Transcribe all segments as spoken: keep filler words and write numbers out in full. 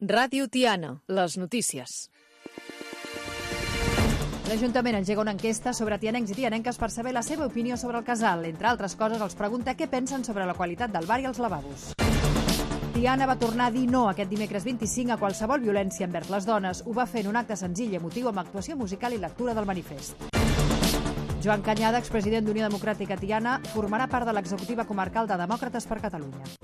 Ràdio Tiana, les notícies. L'Ajuntament engega una enquesta sobre tianencs i tianenques per saber la seva opinió sobre el casal. Entre altres coses, els pregunta què pensen sobre la qualitat del bar i els lavabos. Tiana va tornar a dir no aquest dimecres vint-i-cinc a qualsevol violència envers les dones. Ho va fer en un acte senzill i emotiu amb actuació musical i lectura del manifest. Joan Canyada, expresident d'Unió Democràtica Tiana, formarà part de l'executiva comarcal de Demòcrates per Catalunya.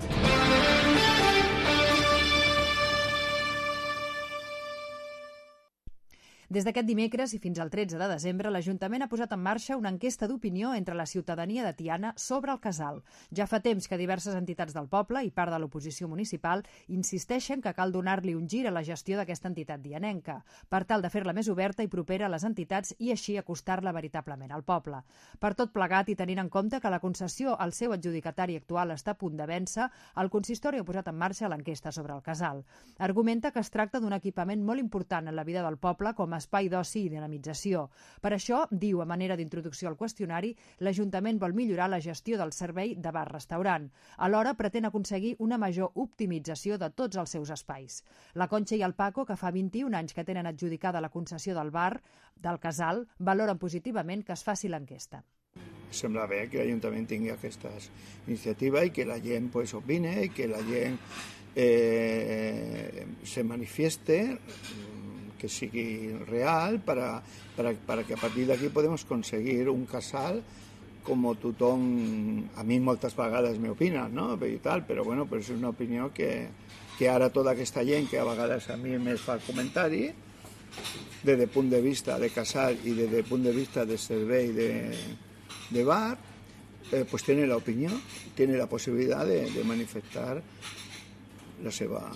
Des d'aquest dimecres i fins al tretze de desembre, l'Ajuntament ha posat en marxa una enquesta d'opinió entre la ciutadania de Tiana sobre el casal. Ja fa temps que diverses entitats del poble i part de l'oposició municipal insisteixen que cal donar-li un gir a la gestió d'aquesta entitat dianenca, per tal de fer-la més oberta i propera a les entitats i així acostar-la veritablement al poble. Per tot plegat i tenint en compte que la concessió al seu adjudicatari actual està a punt de vèncer, el consistori ha posat en marxa l'enquesta sobre el casal. Argumenta que es tracta d'un equipament molt important en la vida del poble com a espai d'oci i dinamització. Per això, diu a manera d'introducció al qüestionari, l'Ajuntament vol millorar la gestió del servei de bar-restaurant. Alhora, pretén aconseguir una major optimització de tots els seus espais. La Conxa i el Paco, que fa vint-i-un anys que tenen adjudicada la concessió del bar del casal, valoren positivament que es faci l'enquesta. Sembla bé que l'Ajuntament tingui aquesta iniciativa i que la gent pues, opine i que la gent eh, se manifieste, que sigui real para, para, para que a partir d'aquí podem aconseguir un casal com tothom, a mi moltes vegades m'opina, no? I tal, però bueno, però és una opinió que, que ara tota aquesta gent que a vegades a mi me fa comentari des del punt de vista de casal i des del punt de vista de servei de, de bar, eh, pues tiene la opinió, tiene la possibilitat de, de manifestar la seva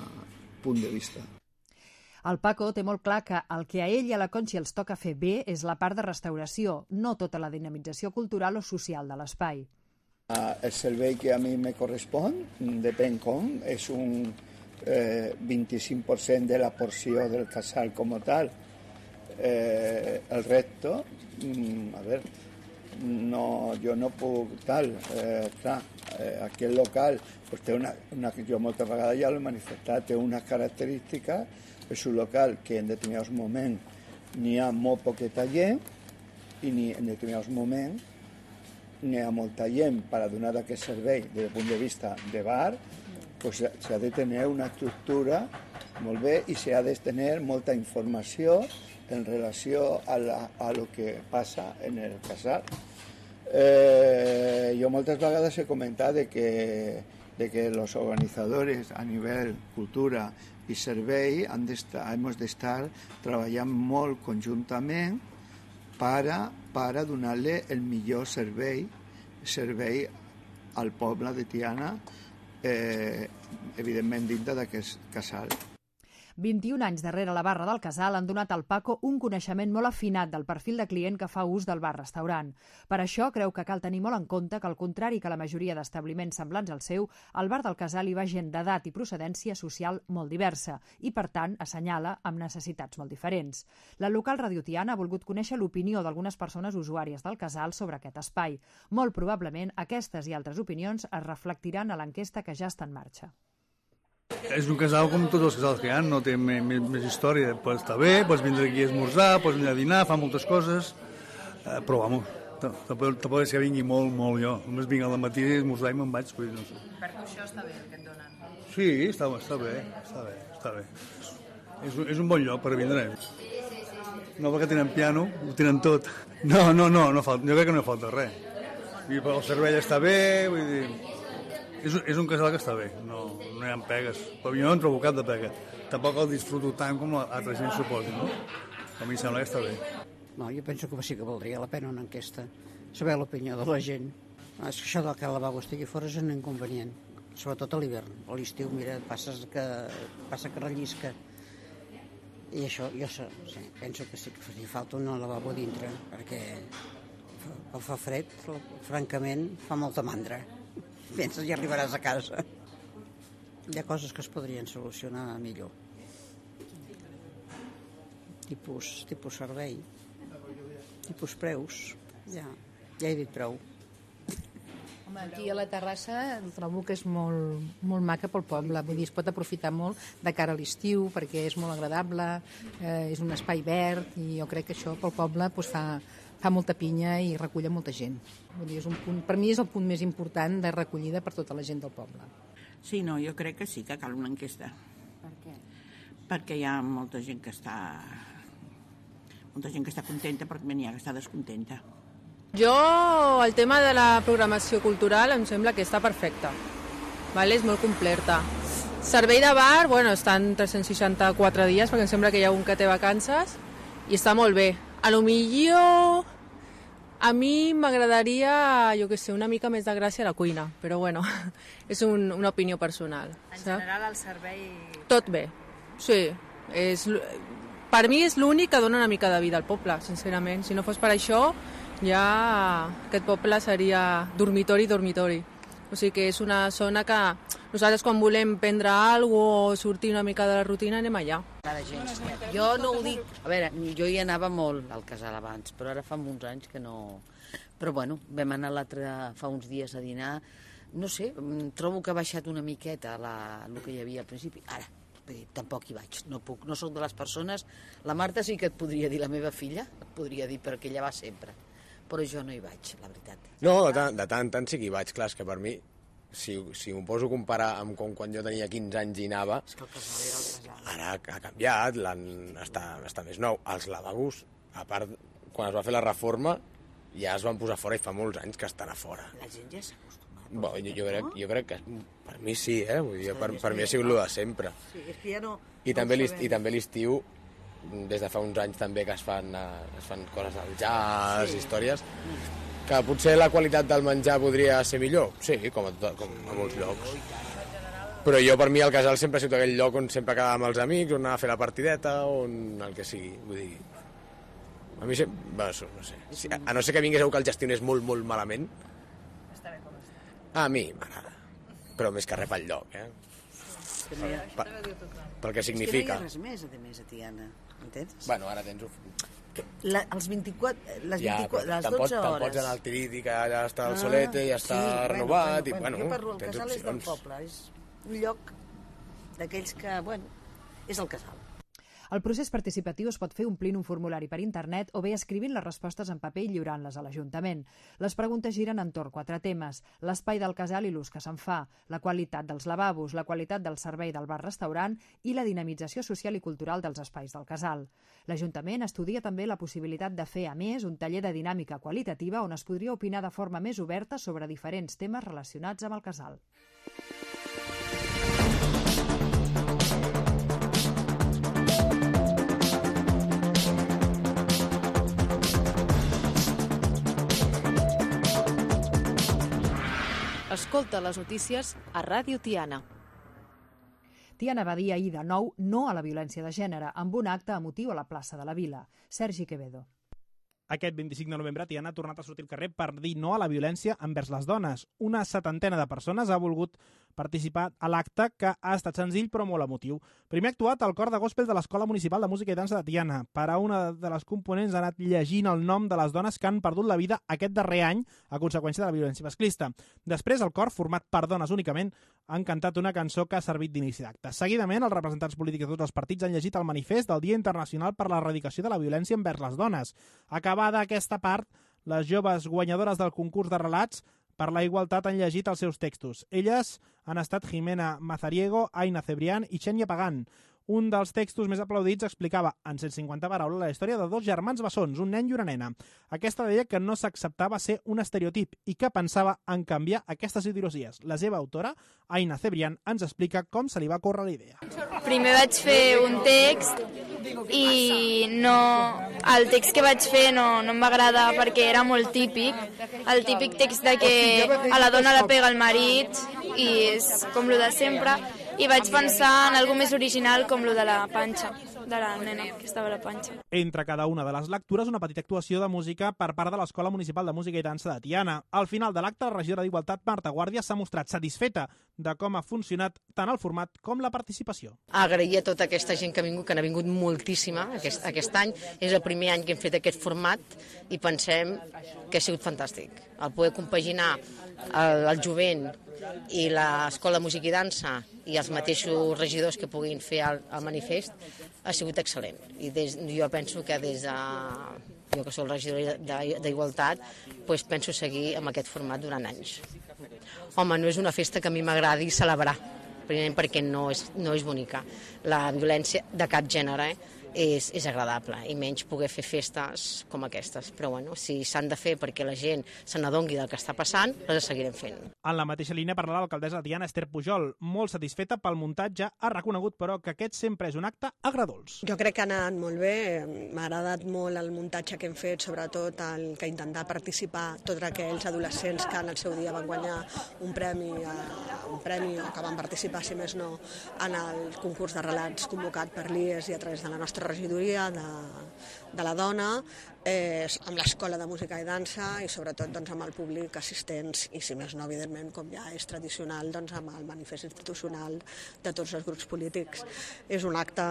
punt de vista. El Paco té molt clar que el que a ell i a la Conxa els toca fer bé és la part de restauració, no tota la dinamització cultural o social de l'espai. El servei que a mi me correspon, depèn com, és un eh, vint-i-cinc per cent de la porció del casal com a tal. Eh, el resto, a veure, no, jo no puc tal, eh, clar, eh, aquest local pues, té una, una, jo moltes vegades ja l'he manifestat, té unes característiques. És un local que en determinats moments n'hi ha molt poqueta gent i en determinats moments n'hi ha molta gent per a donar aquest servei des del punt de vista de bar, pues s'ha de tenir una estructura molt bé i s'ha de tenir molta informació en relació a, la, a lo que passa en el casal. Eh, jo moltes vegades he comentat de que, de que los organizadores a nivell cultura i servei han d'estar, hem d'estar treballant molt conjuntament per a, per a donar-li el millor servei, servei al poble de Tiana, eh, evidentment dintre d'aquest casal. vint-i-un anys darrere la barra del casal han donat al Paco un coneixement molt afinat del perfil de client que fa ús del bar-restaurant. Per això creu que cal tenir molt en compte que, al contrari que la majoria d'establiments semblants al seu, al bar del casal hi va gent d'edat i procedència social molt diversa i, per tant, assenyala amb necessitats molt diferents. La local Ràdio Tiana ha volgut conèixer l'opinió d'algunes persones usuàries del casal sobre aquest espai. Molt probablement, aquestes i altres opinions es reflectiran a l'enquesta que ja està en marxa. És un casal com tots els casals que hi ha, no té més, més història. Pues està bé, pots vindre aquí a esmorzar, pots venir a dinar, fa moltes coses, eh, però vamos, tampoc és que vingui molt, molt jo. Només vinc al matí a esmorzar i me'n vaig. Pues, no sé. Per tu això està bé, el que et donen? Sí, està, està bé, està bé, està bé. És, és un bon lloc per vindre. No perquè tenen piano, ho tenen tot. No, no, no, no falta, jo crec que no falta res. I el servei està bé, vull dir... És, és un casal que està bé, no, no hi ha pegues, però jo no en trobo cap de pega. Tampoc el disfruto tant com altra gent suposi, no? A mi em sembla que està bé. No, jo penso que sí que valdria la pena una enquesta, saber l'opinió de la gent. És que això del que el lavabo estigui fora és un inconvenient, sobretot a l'hivern. A l'estiu, mira, passes que, passa que rellisca. I això, jo sí, penso que sí que faria falta un lavabo dintre, perquè fa, fa fred, francament, fa molta mandra. Penses i arribaràs a casa. Hi ha coses que es podrien solucionar millor. Tipus, tipus servei, tipus preus. Ja, ja he dit prou. Aquí a la terrassa trobo que és molt, molt maca pel poble, vull dir, es pot aprofitar molt de cara a l'estiu perquè és molt agradable, eh, és un espai verd i jo crec que això pel poble doncs, fa, fa molta pinya i recull molta gent. Vull dir, és un punt, per mi és el punt més important de recollida per tota la gent del poble. Sí, no, jo crec que sí que cal una enquesta. Per què? Perquè hi ha molta gent que està molta gent que està contenta, però n'hi ha que està descontenta. Jo, el tema de la programació cultural em sembla que està perfecta, vale? És molt completa. Servei de bar, bueno, estan tres cents seixanta-quatre dies, perquè em sembla que hi ha un que té vacances, i està molt bé. A lo millor, a mi m'agradaria, jo què sé, una mica més de gràcia a la cuina, però bueno, és un, una opinió personal. En general, el servei... Tot bé, sí. És, per mi és l'únic que dona una mica de vida al poble, sincerament. Si no fos per això, ja aquest poble seria dormitori, dormitori. O sigui que és una zona que nosaltres quan volem prendre alguna cosa o sortir una mica de la rutina anem allà. Jo no ho dic... A veure, jo hi anava molt al casal abans, però ara fa uns anys que no... Però bueno, vam anar l'altre fa uns dies a dinar. No sé, trobo que ha baixat una miqueta la, el que hi havia al principi. Ara, tampoc hi vaig, no puc, no soc de les persones. La Marta sí que et podria dir, la meva filla, et podria dir perquè ella va sempre. Però jo no hi vaig, la veritat. No, de tant, de tant, tant sí que hi vaig, clar, és que per mi, si, si m'ho poso a comparar amb com quan jo tenia quinze anys i anava, és que el casal era el casal. Ara ha canviat, està, està més nou. Els lavabos, a part, quan es va fer la reforma, ja es van posar fora i fa molts anys que estan a fora. La gent ja s'ha acostumat. Bo, jo, jo, crec, jo crec que per mi sí, eh? Vull dir, per, per mi ha sigut el de sempre. Sí, és que ja no... I també l'estiu, des de fa uns anys també que es fan, es fan coses del jazz, sí. Històries, que potser la qualitat del menjar podria ser millor, sí, com a, tot, com a molts llocs. Però jo, per mi, el casal sempre ha sigut aquell lloc on sempre quedàvem els amics, on anava a fer la partideta, on el que sigui, vull dir... A mi sempre... Bueno, no sé. Si, a no ser que vingués algú que el gestionés molt, molt malament... Està bé com està. A mi m'agrada, però més que res pel lloc, eh? Per, per, pel que significa. És que no hi ha res més, a més, a Tiana, entens? Bueno, ara tens... La, els vint-i-quatre, les ja, vint-i-quatre, les dotze hores... Te'n pots anar al Tiriti, que ja està al ah, Solete, ja està sí, renovat, bueno, bueno, i bueno, jo parlo, el tens casal opcions. És del poble, és un lloc d'aquells que, bueno, és el casal. El procés participatiu es pot fer omplint un formulari per internet o bé escrivint les respostes en paper i lliurant-les a l'Ajuntament. Les preguntes giren entorn quatre temes: l'espai del casal i l'ús que se'n fa, la qualitat dels lavabos, la qualitat del servei del bar-restaurant i la dinamització social i cultural dels espais del casal. L'Ajuntament estudia també la possibilitat de fer, a més, un taller de dinàmica qualitativa on es podria opinar de forma més oberta sobre diferents temes relacionats amb el casal. Escolta les notícies a Ràdio Tiana. Tiana va dir ahir de nou no a la violència de gènere amb un acte emotiu a la plaça de la Vila. Sergi Quevedo. Aquest vint-i-cinc de novembre, Tiana ha tornat a sortir al carrer per dir no a la violència envers les dones. Una setantena de persones ha volgut participar a l'acte, que ha estat senzill però molt emotiu. Primer ha actuat el cor de gospel de l'Escola Municipal de Música i Dansa de Tiana. Per a una de les components ha anat llegint el nom de les dones que han perdut la vida aquest darrer any a conseqüència de la violència masclista. Després, el cor, format per dones únicament, han cantat una cançó que ha servit d'inici d'acte. Seguidament, els representants polítics de tots els partits han llegit el manifest del Dia Internacional per l'Erradicació de la Violència envers les Dones. Acabada aquesta part, les joves guanyadores del concurs de relats per la igualtat han llegit els seus textos. Elles han estat Jimena Mazariego, Aina Cebrián i Xènia Pagán. Un dels textos més aplaudits explicava en cent cinquanta paraules la història de dos germans bessons, un nen i una nena. Aquesta deia que no s'acceptava ser un estereotip i que pensava en canviar aquestes ideologies. La seva autora, Aina Cebrián, ens explica com se li va córrer la idea. Primer vaig fer un text i no, el text que vaig fer no, no em va agradar perquè era molt típic, el típic text de que a la dona la pega el marit i és com lo de sempre, i vaig pensar en alguna més original com lo de la panxa, de la nena que estava a la panxa. Entre cada una de les lectures, una petita actuació de música per part de l'Escola Municipal de Música i Dansa de Tiana. Al final de l'acte, la regidora d'Igualtat, Marta Guàrdia, s'ha mostrat satisfeta de com ha funcionat tant el format com la participació. Agrair a tota aquesta gent que ha vingut, que n'ha vingut moltíssima aquest, aquest any. És el primer any que hem fet aquest format i pensem que ha sigut fantàstic. El poder compaginar el, el jovent i l'Escola de Música i Dansa i els mateixos regidors que puguin fer el, el manifest ha sigut excel·lent. I des, jo penso que des de... jo que soc regidora d'Igualtat, doncs penso seguir amb aquest format durant anys. Home, no és una festa que a mi m'agradi celebrar, primer perquè no és, no és bonica. La violència de cap gènere és, és agradable, i menys poder fer festes com aquestes. Però bueno, si s'han de fer perquè la gent se n'adongui del que està passant, les seguirem fent. En la mateixa línia parla l'alcaldessa de Tiana, Esther Pujol. Molt satisfeta pel muntatge, ha reconegut, però, que aquest sempre és un acte agradols. Jo crec que ha anat molt bé, m'ha agradat molt el muntatge que hem fet, sobretot el que intentar participar tots aquells adolescents que en el seu dia van guanyar un premi, un premi o que van participar, si més no, en el concurs de relats convocat per l'I E S i a través de la nostra regidoria de, de la dona, eh, amb l'Escola de Música i Dansa i sobretot doncs, amb el públic assistents i, si més no, evidentment, com ja és tradicional, doncs, amb el manifest institucional de tots els grups polítics. És un acte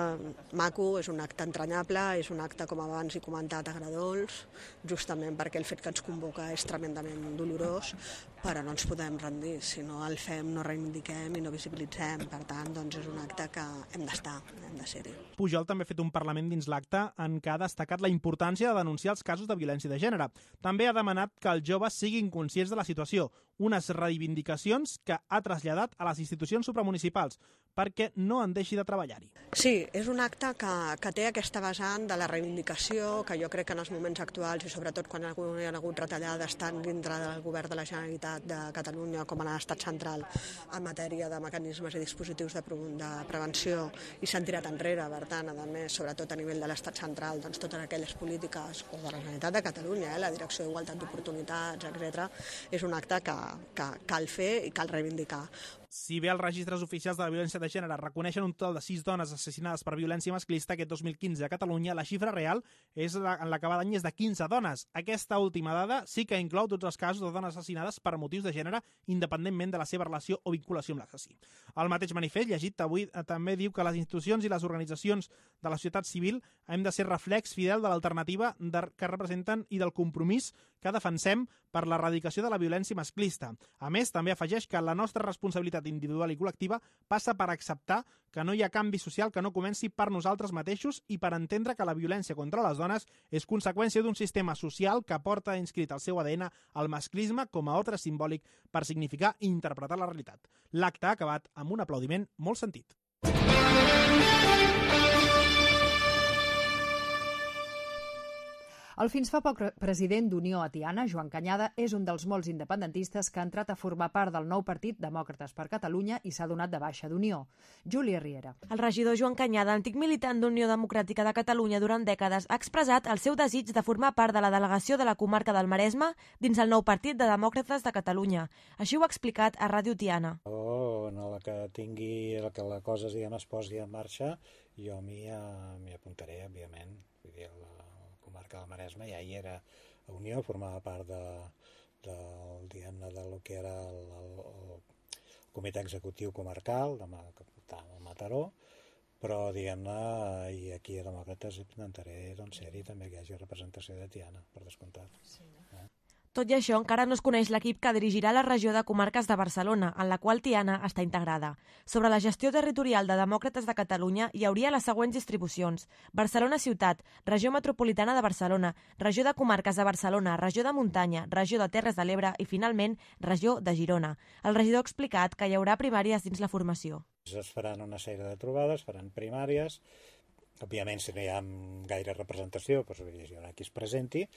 maco, és un acte entranyable, és un acte, com abans he comentat, agradols, justament perquè el fet que ens convoca és tremendament dolorós, però no ens podem rendir. Si no el fem, no reivindiquem i no visibilitzem. Per tant, doncs, és un acte que hem d'estar, hem de ser-hi. Pujol també ha fet un parlament dins l'acte en què ha destacat la importància de denunciar els casos de violència de gènere. També ha demanat que els joves siguin conscients de la situació, unes reivindicacions que ha traslladat a les institucions supramunicipals perquè no en deixi de treballar-hi. Sí, és un acte que, que té aquesta vessant de la reivindicació, que jo crec que en els moments actuals, i sobretot quan hi ha hagut retallades tant dintre del govern de la Generalitat de Catalunya com en l'estat central en matèria de mecanismes i dispositius de, pre de prevenció, i s'han tirat enrere, per tant, a més, sobretot a nivell de l'estat central, doncs totes aquelles polítiques, o de la Generalitat de Catalunya, eh, la Direcció d'Igualtat d'Oportunitats, etcètera, és un acte que, que cal fer i cal reivindicar. Si bé els registres oficials de la violència de gènere reconeixen un total de sis dones assassinades per violència masclista aquest dos mil quinze a Catalunya, la xifra real és la, en l'acabat d'any és de quinze dones. Aquesta última dada sí que inclou tots els casos de dones assassinades per motius de gènere, independentment de la seva relació o vinculació amb l'assassí. El mateix manifest, llegit avui, també diu que les institucions i les organitzacions de la societat civil hem de ser reflex fidel de l'alternativa que representen i del compromís que defensem per l'erradicació de la violència masclista. A més, també afegeix que la nostra responsabilitat individual i col·lectiva passa per acceptar que no hi ha canvi social que no comenci per nosaltres mateixos i per entendre que la violència contra les dones és conseqüència d'un sistema social que porta inscrit al seu A D N el masclisme com a ordre simbòlic per significar i interpretar la realitat. L'acte ha acabat amb un aplaudiment molt sentit. El fins fa poc president d'Unió a Tiana, Joan Cañada, és un dels molts independentistes que ha entrat a formar part del nou partit Demòcrates per Catalunya i s'ha donat de baixa d'Unió. Júlia Riera. El regidor Joan Cañada, antic militant d'Unió Democràtica de Catalunya durant dècades, ha expressat el seu desig de formar part de la delegació de la comarca del Maresme dins el nou partit de Demòcrates de Catalunya. Així ho ha explicat a Ràdio Tiana. Oh, en la que tingui, la que la cosa diguem, es posi en marxa, jo m'hi apuntaré, òbviament. Vull dir, la comarca del Maresme ja hi era a Unió, formava part de, del, diguem-ne, de lo que era el, el, el comitè executiu comarcal de, de Mataró, però, diguem-ne, i aquí a Demòcrates intentaré doncs, ser-hi també que hi hagi representació de Tiana, per descomptat. Sí. Eh? Tot i això, encara no es coneix l'equip que dirigirà la regió de comarques de Barcelona, en la qual Tiana està integrada. Sobre la gestió territorial de Demòcrates de Catalunya hi hauria les següents distribucions: Barcelona Ciutat, Regió Metropolitana de Barcelona, Regió de Comarques de Barcelona, Regió de Muntanya, Regió de Terres de l'Ebre i, finalment, Regió de Girona. El regidor ha explicat que hi haurà primàries dins la formació. Es faran una sèrie de trobades, faran primàries. Òbviament, si no hi ha gaire representació, doncs hi haurà qui es presenti,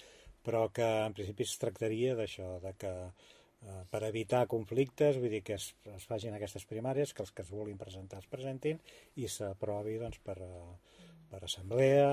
però que en principi es tractaria d'això, de que eh, per evitar conflictes, vull dir que es, es facin aquestes primàries, que els que es vulguin presentar es presentin i s'aprovi doncs, per, per assemblea,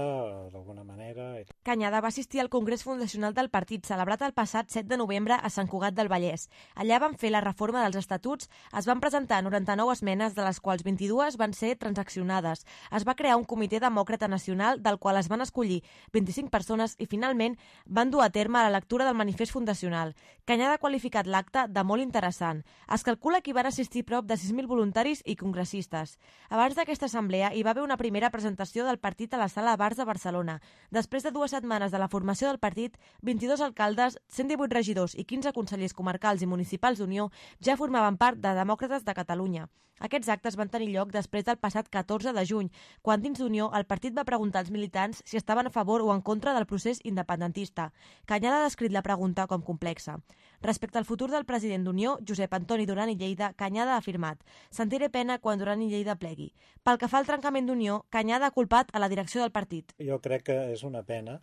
d'alguna manera. Cañada va assistir al Congrés Fundacional del partit, celebrat el passat set de novembre a Sant Cugat del Vallès. Allà van fer la reforma dels estatuts, es van presentar noranta-nou esmenes, de les quals vint-i-dues van ser transaccionades. Es va crear un comitè demòcrata nacional, del qual es van escollir vint-i-cinc persones i, finalment, van dur a terme la lectura del manifest fundacional. Cañada ha qualificat l'acte de molt interessant. Es calcula que hi van assistir prop de sis mil voluntaris i congressistes. Abans d'aquesta assemblea hi va haver una primera presentació del partit partit a la Sala Bars de Barcelona. Després de dues setmanes de la formació del partit, vint-i-dos alcaldes, cent divuit regidors i quinze consellers comarcals i municipals d'Unió ja formaven part de Demòcrates de Catalunya. Aquests actes van tenir lloc després del passat catorze de juny, quan dins d'Unió el partit va preguntar als militants si estaven a favor o en contra del procés independentista. Canyada ha descrit la pregunta com complexa. Respecte al futur del president d'Unió, Josep Antoni Duran i Lleida, Canyada ha afirmat: sentiré pena quan Duran i Lleida plegui. Pel que fa al trencament d'Unió, Canyada ha culpat a la direcció del partit. Jo crec que és una pena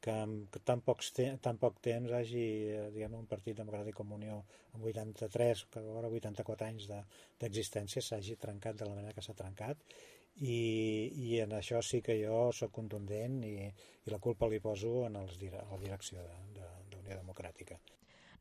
que en tan, pocs te tan poc temps hagi, diguem, un partit democràtic com Unió amb vuitanta-tres, que ara vuitanta-quatre anys d'existència, s'hagi trencat de la manera que s'ha trencat, i, i en això sí que jo sóc contundent i, i la culpa li poso en els, a la direcció d'Unió Democràtica.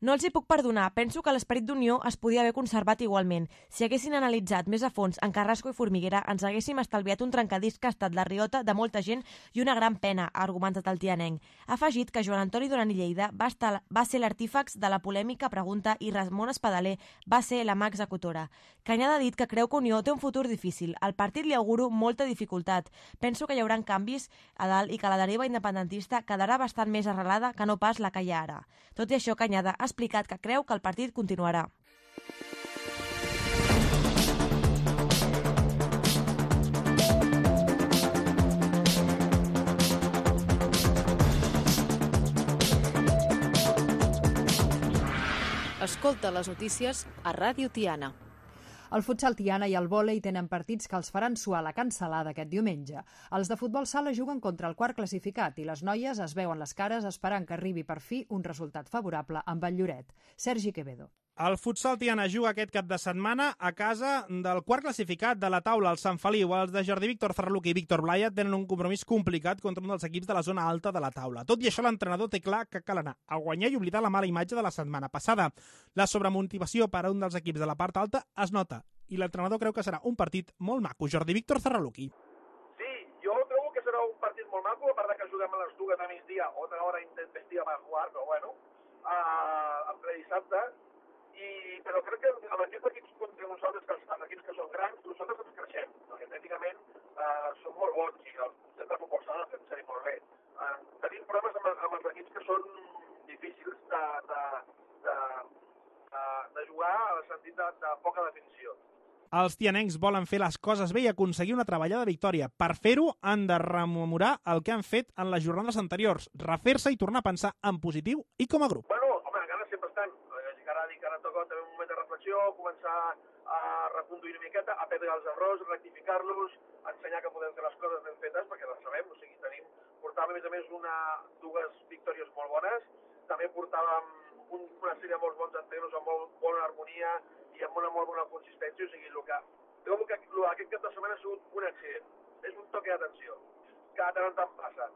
No els hi puc perdonar. Penso que l'esperit d'unió es podia haver conservat igualment. Si haguessin analitzat més a fons en Carrasco i Formiguera, ens haguéssim estalviat un trencadís que ha estat la riota de molta gent i una gran pena, ha argumentat el tianenc. Ha afegit que Joan Antoni Duran i Lleida va, estar, va ser l'artífex de la polèmica pregunta i Ramon Espadaler va ser la mà executora. Canyada ha dit que creu que Unió té un futur difícil. Al partit li auguro molta dificultat. Penso que hi haurà canvis a dalt i que la deriva independentista quedarà bastant més arrelada que no pas la que hi ha ara. Tot i això, Canyada ha explicat que creu que el partit continuarà. Escolta les notícies a Ràdio Tiana. El futsal Tiana i el vòlei tenen partits que els faran suar la cancel·lada aquest diumenge. Els de futbol sala juguen contra el quart classificat i les noies es veuen les cares esperant que arribi per fi un resultat favorable amb el Lloret. Sergi Quevedo. El futsal Tiana juga aquest cap de setmana a casa del quart classificat de la taula, el Sant Feliu. Els de Jordi Víctor Ferraluc i Víctor Blaya tenen un compromís complicat contra un dels equips de la zona alta de la taula. Tot i això, l'entrenador té clar que cal anar a guanyar i oblidar la mala imatge de la setmana passada. La sobremotivació per a un dels equips de la part alta es nota i l'entrenador creu que serà un partit molt maco. Jordi Víctor Ferraluc. Sí, jo trobo que serà un partit molt maco, a part que juguem a les dues a migdia, otra hora intempestiva per jugar, però bueno, uh, el dissabte. I, però crec que amb aquests equips contra nosaltres, que els, els equips que són grans, nosaltres ens creixem, perquè tècnicament eh, són molt bons i el concepte de futbol sala fem servir molt bé. Eh, tenim problemes amb, amb els equips que són difícils de, de, de, de, de jugar en el sentit de, de poca definició. Els tianencs volen fer les coses bé i aconseguir una treballada victòria. Per fer-ho, han de rememorar el que han fet en les jornades anteriors, refer-se i tornar a pensar en positiu i com a grup. Bueno, home, ganes sempre estan. Ara dic que ara toca també un moment de reflexió, començar a reconduir una miqueta, a perdre els errors, rectificar-los, ensenyar que podem fer les coses ben fetes, perquè les sabem, o sigui, tenim, portàvem a més a més una, dues victòries molt bones, també portàvem un, una sèrie de molts bons entrenos amb molt bona harmonia i amb una molt bona consistència, o sigui, el que, trobo que aquest cap de setmana ha sigut un accident, és un toque d'atenció, que de tant en tant passa.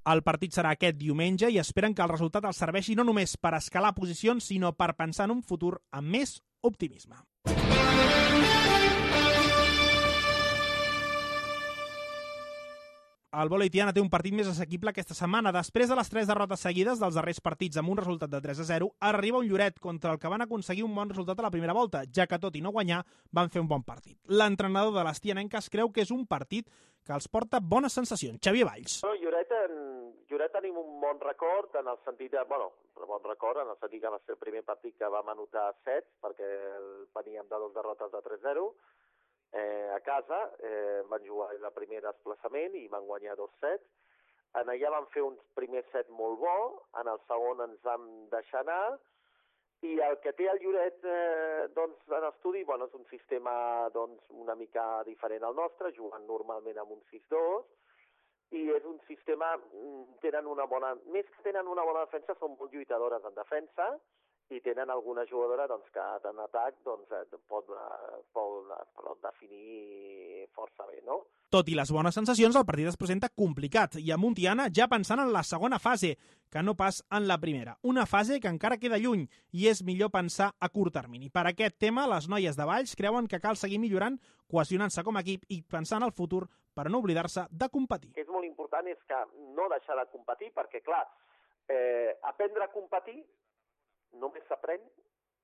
El partit serà aquest diumenge i esperen que el resultat els serveixi no només per escalar posicions, sinó per pensar en un futur amb més optimisme. El vòlei Tiana té un partit més assequible aquesta setmana. Després de les tres derrotes seguides dels darrers partits amb un resultat de tres a zero, arriba un Lloret contra el que van aconseguir un bon resultat a la primera volta, ja que tot i no guanyar van fer un bon partit. L'entrenador de les tianenques creu que és un partit que els porta bones sensacions. Xavier Valls. No, Lloret, en... Lloret tenim un bon record en el sentit de, bueno, un bon record en el sentit que va ser el primer partit que vam anotar set, perquè veníem de dos derrotes de tres a zero, Eh, a casa, eh, van jugar el primer desplaçament i van guanyar dos sets. En allà van fer un primer set molt bo, en el segon ens vam deixar anar, i el que té el Lloret eh, doncs, en estudi, bueno, és un sistema doncs, una mica diferent al nostre, jugant normalment amb un sis dos, i és un sistema, tenen una bona, més que tenen una bona defensa, són molt lluitadores en defensa, i tenen alguna jugadora doncs, que en atac doncs, pot, pot, pot definir força bé, no? Tot i les bones sensacions, el partit es presenta complicat i a Tiana ja pensant en la segona fase, que no pas en la primera. Una fase que encara queda lluny i és millor pensar a curt termini. Per aquest tema, les noies de Valls creuen que cal seguir millorant, cohesionant-se com a equip i pensar en el futur per no oblidar-se de competir. És molt important és que no deixar de competir perquè, clar, eh, aprendre a competir només s'aprèn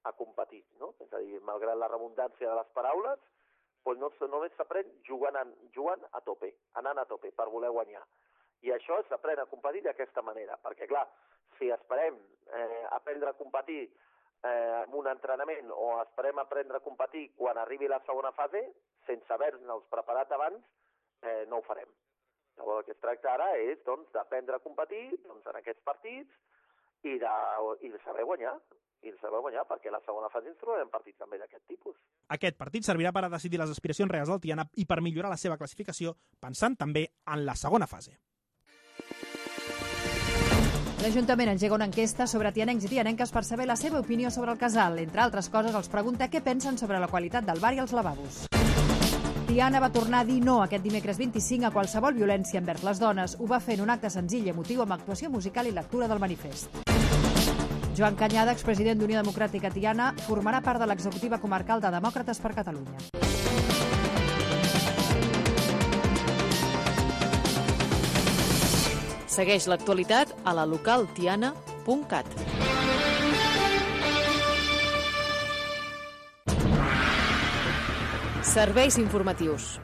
a competir, no? És a dir, malgrat la redundància de les paraules, doncs no, només s'aprèn jugant, a, jugant a tope, anant a tope per voler guanyar. I això s'aprèn a competir d'aquesta manera, perquè clar, si esperem eh, aprendre a competir eh, en un entrenament o esperem aprendre a competir quan arribi la segona fase, sense haver-nos preparat abans, eh, no ho farem. Llavors el que es tracta ara és doncs, d'aprendre a competir doncs, en aquests partits i de, i de saber guanyar. i el saber guanyar, perquè a la segona fase ens trobarem partits també d'aquest tipus. Aquest partit servirà per a decidir les aspiracions reals del Tiana i per millorar la seva classificació, pensant també en la segona fase. L'Ajuntament engega una enquesta sobre tianencs i tianenques per saber la seva opinió sobre el casal. Entre altres coses, els pregunta què pensen sobre la qualitat del bar i els lavabos. Tiana va tornar a dir no aquest dimecres vint-i-cinc a qualsevol violència envers les dones. Ho va fer en un acte senzill i emotiu amb actuació musical i lectura del manifest. Joan Canyada, expresident d'Unió Democràtica Tiana, formarà part de l'executiva comarcal de Demòcrates per Catalunya. Segueix l'actualitat a la local tiana punt cat. Serveis informatius.